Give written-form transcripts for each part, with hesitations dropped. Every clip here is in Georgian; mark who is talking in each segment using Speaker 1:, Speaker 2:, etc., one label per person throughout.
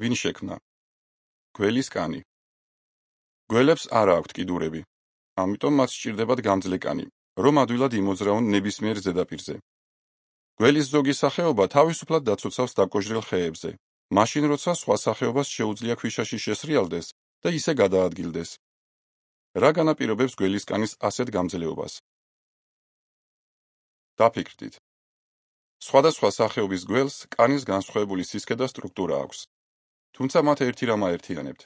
Speaker 1: ვინ შექმნა? გველის კანი. გველებს არ აქვთ კიდურები, ამიტომ მათ სჭირდებათ გამძლე კანი, რომ ადვილად იმოძრაონ ნებისმიერ ზედაპირზე. გველის ზოგი სახეობა თავისუფლად დაცოცავს დაკოჟრილ ხეებზე, მაშინ როცა სხვა სახეობას შეუძლია ქვიშაში შესრიალდეს და ისე გადაადგილდეს. რა განაპირობებს გველის კანის ასეთ გამძლეობას? დაფიქრდით. სხვადასხვა სახეობის გველს კანის განსხვავებული სისქე და სტრუქტურა აქვს. თუმცა მათ ერთი რამ აერთიანებთ.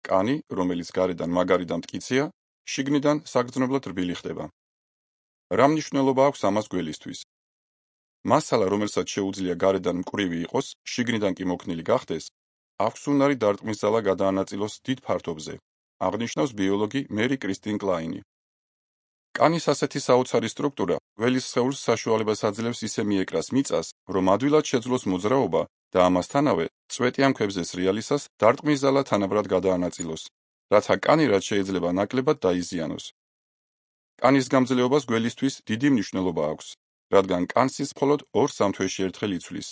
Speaker 1: კანი, რომელიც გარედან მაგარი და მტკიცეა, შიგნიდან საგრძნობლად რბილი ხდება. რა მნიშვნელობა აქვს ამას გველისთვის? მასალა, რომელსაც შეუძლია გარედან მკვრივი იყოს, შიგნიდან კი მოქნილი გახდეს, აქვს უნარი დარტყმის ძალა გადაანაწილოს დიდ ფართობზე, აღნიშნავს ბიოლოგი მერი კრისტინ კლაინი. კანის ასეთი საოცარი სტრუქტურა გველის სხეულს საშუალებას აძლევს ისე მიეკრას მიწას, რომ ადვილად შეძლოს მოძრაობა და ამასთანავე წვეტიან ქვებზე სრიალისას დარტყმის ძალა თანაბრად გადაანაწილოს, რათა კანი რაც შეიძლება ნაკლებად დაიზიანოს. კანის გამძლეობას გველისთვის დიდი მნიშვნელობა აქვს, რადგან კანს ის მხოლოდ 2-3 თვეში ერთხელ იცვლის.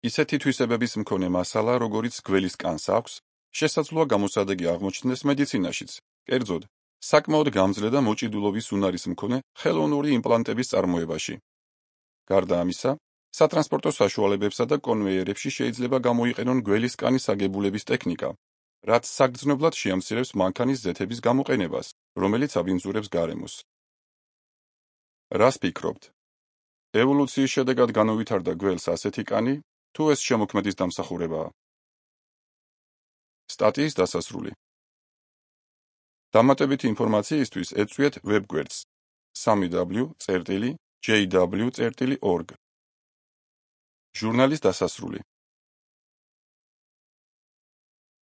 Speaker 1: ისეთი თვისებების მქონე მასალა, როგორიც გველის კანს აქვს, შესაძლოა გამოსადეგი აღმოჩნდეს მედიცინაშიც, კერძოდ, საკმაოდ გამძლე და მოჭიდულობის უნარის მქონე ხელოვნური იმპლანტების წარმოებაში. გარდა ამისა, სატრანსპორტო საშუალებებსა და კონვეიერებში შეიძლება გამოიყენონ გველის კანის აგებულების ტექნიკა, რაც საგრძნობლად შეამცირებს მანქანის ზეთების გამოყენებას, რომელიც აბინძურებს გარემოს. რას ფიქრობთ? ევოლუციის შედეგად განუვითარდა გველს ასეთი კანი, თუ ეს შემოქმედის დამსახურებაა? სტატიის დასასრული. დამატებითი ინფორმაციისთვის ეწვიეთ ვებგვერდს www.jw.org. ჟურნალის დასასრული.